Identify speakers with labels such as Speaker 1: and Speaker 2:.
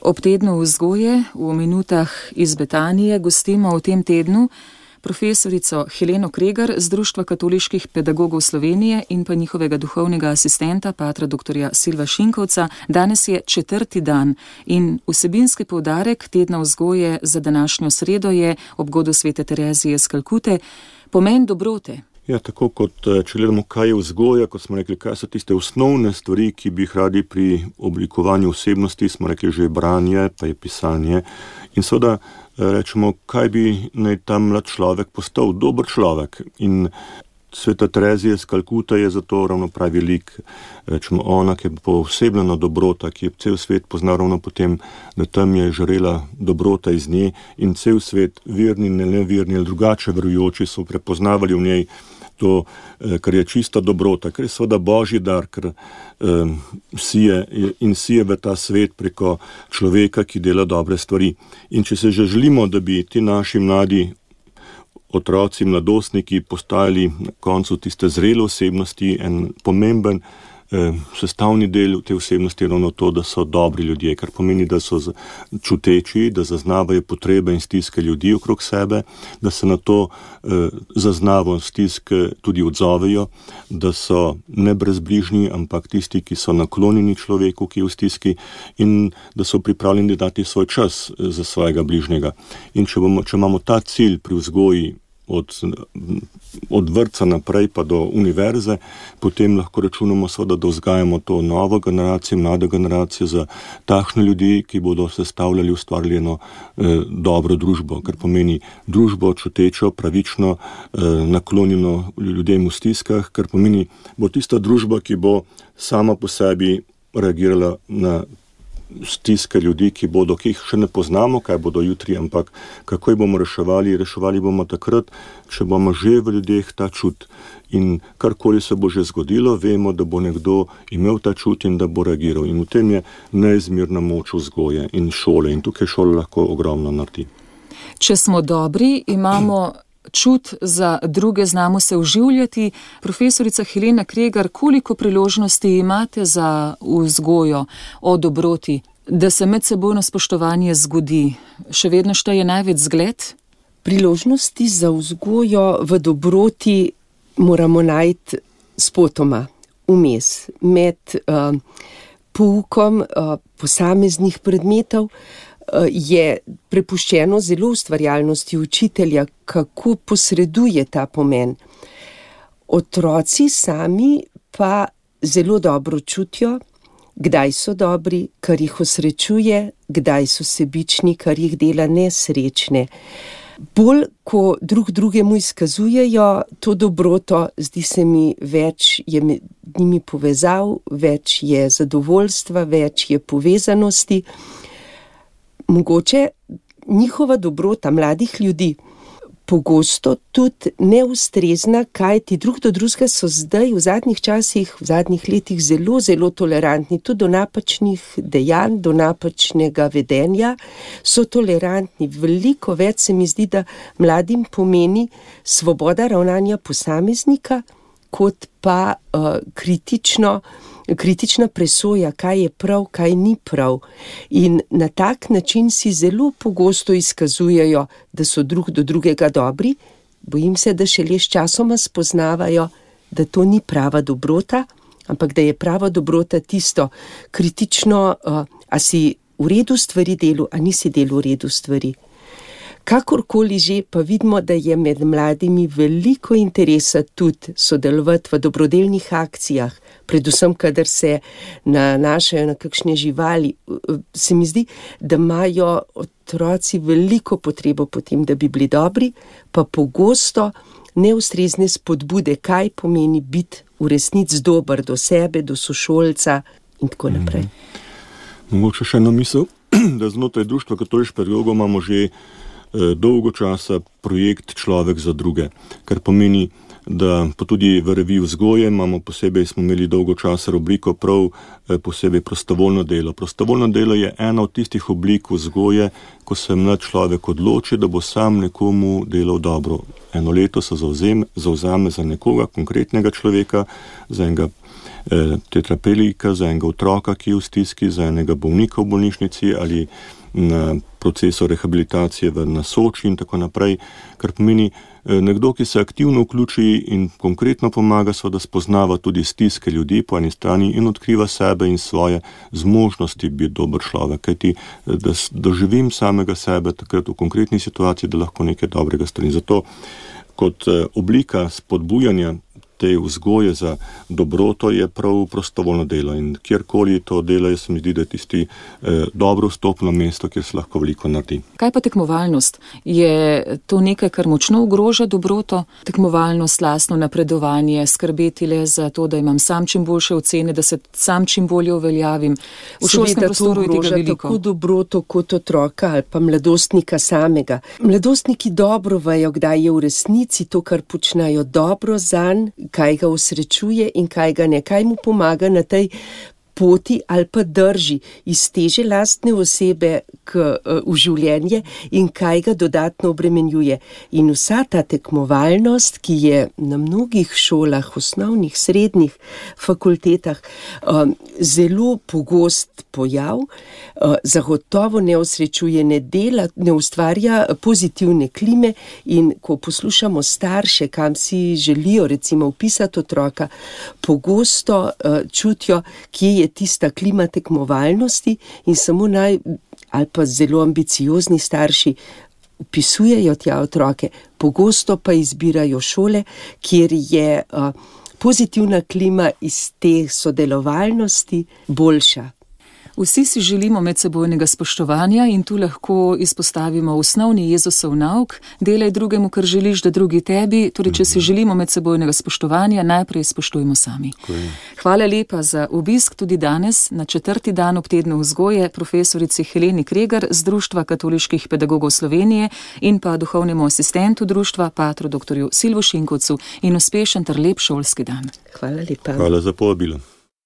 Speaker 1: Ob tednu vzgoje v minutah iz Betanije gostimo v tem tednu profesorico Heleno Kregar z Društva katoliških pedagogov Slovenije in pa njihovega duhovnega asistenta, patra dr. Silva Šinkovca. Danes je 4. dan in vsebinski poudarek tedna vzgoje za današnjo sredo je ob godu svete Terezije iz Kalkute pomen dobrote.
Speaker 2: Ja, tako kot če gledamo, kaj je vzgoja, kot smo rekli, kaj so tiste osnovne stvari, ki bi jih radi pri oblikovanju osebnosti, smo rekli že branje, pa je pisanje. In seveda rečemo, kaj bi naj ta mlad človek postal, dober človek. In sveta Terezija iz Kalkute je zato ravno pravi lik. Rečemo, ona, ki je posebljena dobrota, ki je cel svet poznal ravno potem, da tam je žarela dobrota iz nje in cel svet, verni, neverni ali drugače verujoči, so prepoznavali v njej to, kar je čista dobrota, ker je seveda božji dar, ker sije v ta svet preko človeka, ki dela dobre stvari. In če se že želimo, da bi ti naši mladi otroci, mladostniki postajali na koncu tiste zrele osebnosti, en pomemben sestavni del te osebnosti je ravno to, da so dobri ljudje, kar pomeni, da so čuteči, da zaznavajo potrebe in stiske ljudi okrog sebe, da se na to zaznavo stiske tudi odzovejo, da so ne brezbrižni, ampak tisti, ki so naklonjeni človeku, ki je v stiski, in da so pripravljeni dati svoj čas za svojega bližnjega. In če imamo ta cilj pri vzgoji od vrtca naprej pa do univerze, potem lahko računamo seveda, da vzgajamo to novo generacijo, mlado generacijo za takšne ljudi, ki bodo sestavljali, ustvarjali eno dobro družbo, kar pomeni družbo čutečo, pravično, naklonjeno ljudem v stiskah, kar pomeni, bo tista družba, ki bo sama po sebi reagirala na stiske ljudi, ki jih še ne poznamo, kaj bodo jutri, ampak kako jih bomo reševali. Reševali bomo takrat, če bomo že v ljudeh ta čut. In karkoli se bo že zgodilo, vemo, da bo nekdo imel ta čut in da bo reagiral. In v tem je neizmerna moč vzgoje in šole. In tukaj šola lahko ogromno naredi.
Speaker 1: Če smo dobri, imamo čut za druge, znamo se vživljati. Profesorica Helena Kregar, koliko priložnosti imate za vzgojo o dobroti, da se medsebojno spoštovanje zgodi? Še vedno šteje največ zgled?
Speaker 3: Priložnosti za vzgojo v dobroti moramo najti spotoma, vmes, med poukom posameznih predmetov, je prepuščeno zelo ustvarjalnosti učitelja, kako posreduje ta pomen. Otroci sami pa zelo dobro čutijo, kdaj so dobri, kar jih osrečuje, kdaj so sebični, kar jih dela nesrečne. Bolj, ko drug drugemu izkazujejo to dobroto, zdi se mi, več je med njimi povezav, več je zadovoljstva, več je povezanosti. Mogoče njihova dobrota mladih ljudi pogosto tudi neustrezna, kajti drug do drugega so zdaj v zadnjih časih, v zadnjih letih zelo, zelo tolerantni, tudi do napačnih dejanj, do napačnega vedenja so tolerantni. Veliko več se mi zdi, da mladim pomeni svoboda ravnanja posameznika, kot pa kritična presoja, kaj je prav, kaj ni prav. In na tak način si zelo pogosto izkazujejo, da so drug do drugega dobri. Bojim se, da šele s časoma spoznavajo, da to ni prava dobrota, ampak da je prava dobrota tisto kritično, a si v redu stvari delu, a nisi delu v redu stvari. Kakorkoli že, pa vidimo, da je med mladimi veliko interesa tudi sodelovati v dobrodelnih akcijah, predvsem, kadar se nanašajo na kakšne živali. Se mi zdi, da imajo otroci veliko potrebo po tem, da bi bili dobri, pa pogosto neustrezne spodbude, kaj pomeni biti v resnici dober do sebe, do sošolca in tako naprej.
Speaker 2: Mogoče še eno misel, da znotraj Društva katoliških pedagogov imamo že dolgo časa projekt Človek za druge, kar pomeni, da pa tudi v reviji vzgoje smo imeli dolgo časa rubriko prav posebej prostovoljno delo. Prostovoljno delo je ena od tistih oblik vzgoje, ko se mlad človek odloči, da bo sam nekomu delal dobro. Eno leto se zavzame za nekoga, konkretnega človeka, za enega tetraplegika, za enega otroka, ki je v stiski, za enega bolnika v bolnišnici ali na procesu rehabilitacije na Soči in tako naprej, kar pomeni nekdo, ki se aktivno vključi in konkretno pomaga, da spoznava tudi stiske ljudi po eni strani in odkriva sebe in svoje zmožnosti biti dober človek, kajti da doživim samega sebe takrat v konkretni situaciji, da lahko nekaj dobrega storim. Zato kot oblika spodbujanja te vzgoje za dobroto je prav prostovoljno delo in kjerkoli to delo, se mi zdi, da je tisti dobro vstopno mesto, kjer se lahko veliko naredi.
Speaker 1: Kaj pa tekmovalnost? Je to nekaj, kar močno ogroža dobroto? Tekmovalnost, lastno napredovanje, skrbeti le za to, da imam sam čim boljše ocene, da se sam čim bolje uveljavim. V šolskem prostoru je tega veliko.
Speaker 3: Tako dobroto kot otroka ali pa mladostnika samega. Mladostniki dobro vejo, kdaj je v resnici to, kar počnejo, dobro zanj, kaj ga osrečuje in kaj ga ne, kaj mu pomaga na tej poti ali pa drži iz teže lastne osebe v življenje in kaj ga dodatno obremenjuje. In vsa ta tekmovalnost, ki je na mnogih šolah, osnovnih, srednjih, fakultetah, zelo pogost pojav, zagotovo ne osrečuje, ne dela, ne ustvarja pozitivne klime in ko poslušamo starše, kam si želijo recimo vpisati otroka, pogosto čutijo, kje je tista klima tekmovalnosti in samo ali pa zelo ambiciozni starši vpisujejo tja otroke, pogosto pa izbirajo šole, kjer je pozitivna klima iz te sodelovalnosti boljša.
Speaker 1: Vsi si želimo medsebojnega spoštovanja in tu lahko izpostavimo osnovni Jezusov nauk, delaj drugemu, kar želiš, da drugi tebi. Torej, če si želimo medsebojnega spoštovanja, najprej spoštujmo sami. Hvala lepa za obisk tudi danes, na 4. dan ob tednu vzgoje, profesorici Heleni Kregar z Društva katoliških pedagogov Slovenije in pa duhovnemu asistentu društva, patru dr. Silvu Šinkovcu in uspešen ter lep šolski dan.
Speaker 3: Hvala lepa.
Speaker 2: Hvala za povabilo.